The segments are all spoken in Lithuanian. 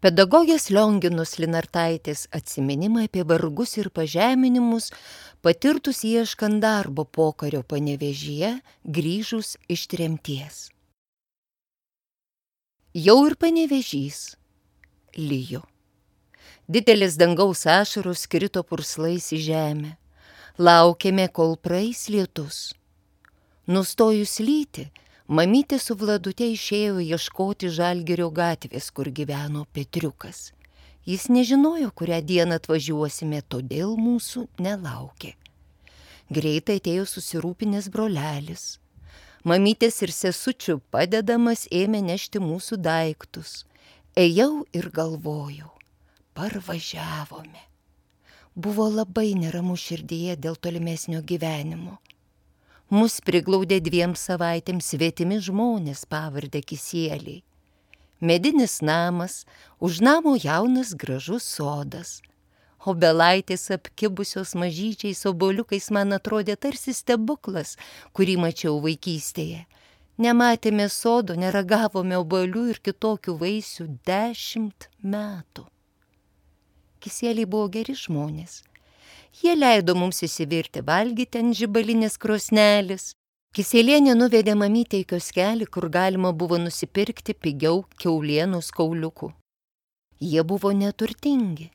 Pedagogės Lionginos Linartaitės atsiminimai apie vargus ir pažeminimus patirtus ieškant darbo pokario Panevėžyje, grįžus iš tremties. Jau ir Panevėžys lijo. Didelis dangaus ašaros krito purslais į žemę. Laukėme, kol praeis lietus. Nustojus lyti, mamytė su Vladute išėjo ieškoti Žalgirio gatvės, kur gyveno Petriukas. Jis nežinojo, kurią dieną atvažiuosime, todėl mūsų nelaukė. Greitai atėjo susirūpinęs brolelis. Mamytės ir sesučių padedamas ėmė nešti mūsų daiktus. Ėjau ir galvojau, parvažiavome. Buvo labai neramu širdyje dėl tolimesnio gyvenimo. Mus priglaudė 2 savaitėms svetimi žmonės pavardę Kisieliai. Medinis namas, už namo jaunas gražus sodas. Obelaitės apkibusios mažyčiais obuoliukais man atrodė tarsi stebuklas, kurį mačiau vaikystėje. Nematėme sodo, neragavome obuolių ir kitokių vaisių 10 metų. Kisieliai buvo geri žmonės. Jie leido mums įsivirti valgyti ant žibalinės krosnelės. Kisielienė nuvedė mamytę į kioskelį, kur galima buvo nusipirkti pigiau kiaulienos kauliukų. Jie buvo neturtingi.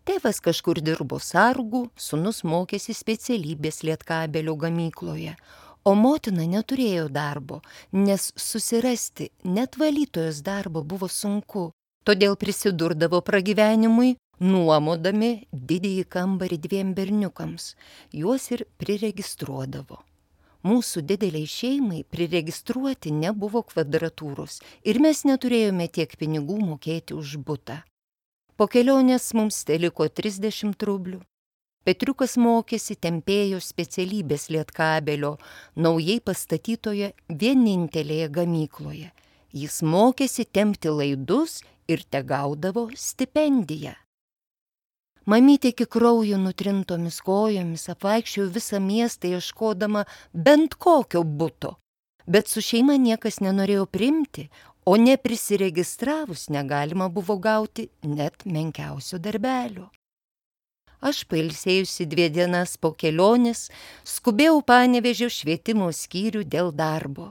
Tėvas kažkur dirbo sargu, sūnus mokėsi specialybės Lietkabelio gamykloje, o motina neturėjo darbo, nes susirasti net valytojos darbo buvo sunku, todėl prisidurdavo pragyvenimui, nuomodami didįjį kambarį 2 berniukams, juos ir priregistruodavo. Mūsų dideliai šeimai priregistruoti nebuvo kvadratūros ir mes neturėjome tiek pinigų mokėti už butą. Po kelionės mums teliko 30 rublių. Petriukas mokėsi tempėjo specialybės Lietkabelio naujai pastatytoje vienintelėje gamykloje. Jis mokėsi tempti laidus ir tegaudavo stipendiją. Mamytė iki kraujo nutrintomis kojomis apvaikščiojo visą miestą ieškodama bent kokio buto, bet su šeima niekas nenorėjo priimti, o neprisiregistravus negalima buvo gauti net menkiausio darbelio. Aš pailsėjusi 2 dienas po kelionės, skubėjau Panevėžio švietimo skyrių dėl darbo.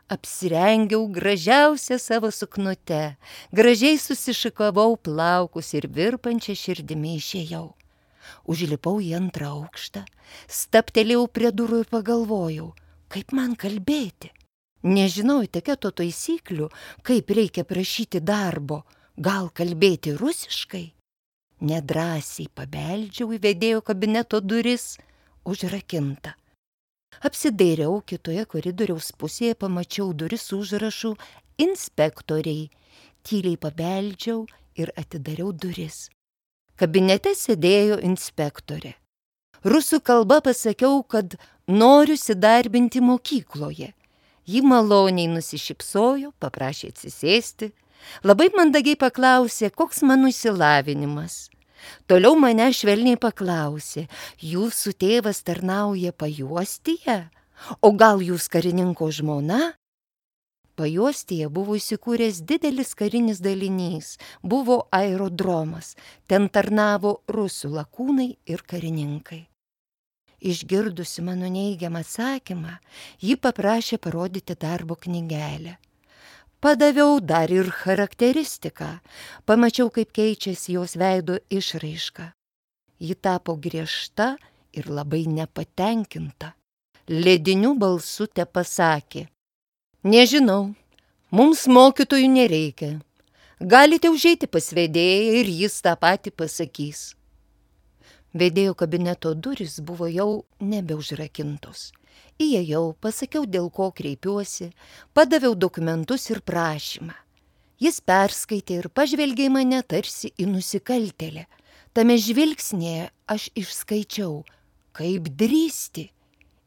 Apsirengiau gražiausią savo suknute, gražiai susišikavau plaukus ir virpančią širdimi išėjau. Užlipau į 2 aukštą, stabtelėjau prie durų ir pagalvojau, kaip man kalbėti. Nežinau etiketo taisyklių, kaip reikia prašyti darbo, gal kalbėti rusiškai. Nedrąsiai pabeldžiau į vedėjo kabineto duris, užrakinta. Apsidairiau, kitoje koridoriaus pusėje pamačiau duris su užrašu inspektoriai. Tyliai pabeldžiau ir atidariau duris. Kabinete sėdėjo inspektorė. Rusų kalba pasakiau, kad noriu įsidarbinti mokykloje. Ji maloniai nusišypsojo, paprašė atsisėsti. Labai mandagiai paklausė, koks mano išsilavinimas. Toliau mane švelniai paklausė, jūsų tėvas tarnauja Pajuostyje, o gal jūs karininko žmona? Pajuostyje buvo įsikūręs didelis karinis dalinys, buvo aerodromas, ten tarnavo rusų lakūnai ir karininkai. Išgirdusi mano neigiamą atsakymą, ji paprašė parodyti darbo knygelę. Padaviau dar ir charakteristiką. Pamačiau, kaip keičiasi jos veido išraiška. Ji tapo griežta ir labai nepatenkinta. Lediniu balsu tepasakė: nežinau, mums mokytojų nereikia. Galite užeiti pas vedėją ir jis tą patį pasakys. Vedėjo kabineto durys buvo jau nebeužrakintos. Įėjau, pasakiau, dėl ko kreipiuosi, padaviau dokumentus ir prašymą. Jis perskaitė ir pažvelgė į mane tarsi į nusikaltėlę. Tame žvilgsnėje aš išskaičiau, kaip drįsti,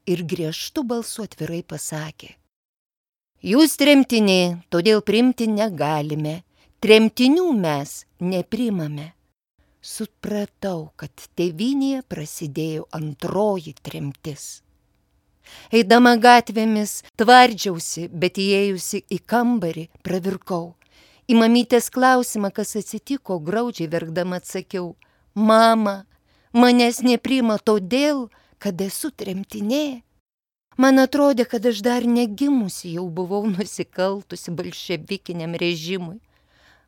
ir griežtu balsu atvirai pasakė: jūs tremtinė, todėl priimti negalime, tremtinių mes nepriimame. Supratau, kad tėvynėje prasidėjo 2 tremtis. Eidama gatvėmis tvardžiausi, bet įėjusi į kambarį pravirkau. Į mamytės klausimą, kas atsitiko, graudžiai verkdama atsakiau: mama, manęs nepriima todėl, kad esu tremtinė. Man atrodė, kad aš dar negimusi jau buvau nusikaltusi bolševikiniam režimui.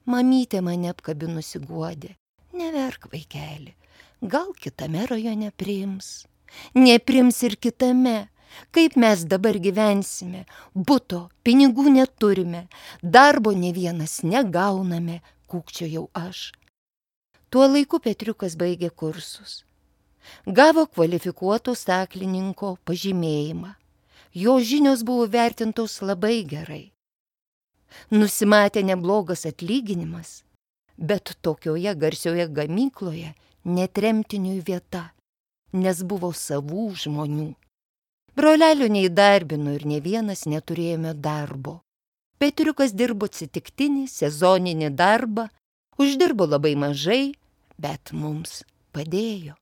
Mamytė mane apkabinusi guodė: neverk, vaikeli, gal kitame rajone priims. Nepriims ir kitame. Kaip mes dabar gyvensime? Buto, pinigų neturime, darbo ne vienas negauname, kūkčiojau aš. Tuo laiku Petriukas baigė kursus. Gavo kvalifikuoto staklininko pažymėjimą. Jo žinios buvo vertintos labai gerai. Nusimatė neblogas atlyginimas, bet tokioje garsioje gamykloje netremtiniui vieta, nes buvo savų žmonių. Brolelio neįdarbino ir ne vienas neturėjome darbo. Petriukas dirbo atsitiktinį, sezoninį darbą, uždirbo labai mažai, bet mums padėjo.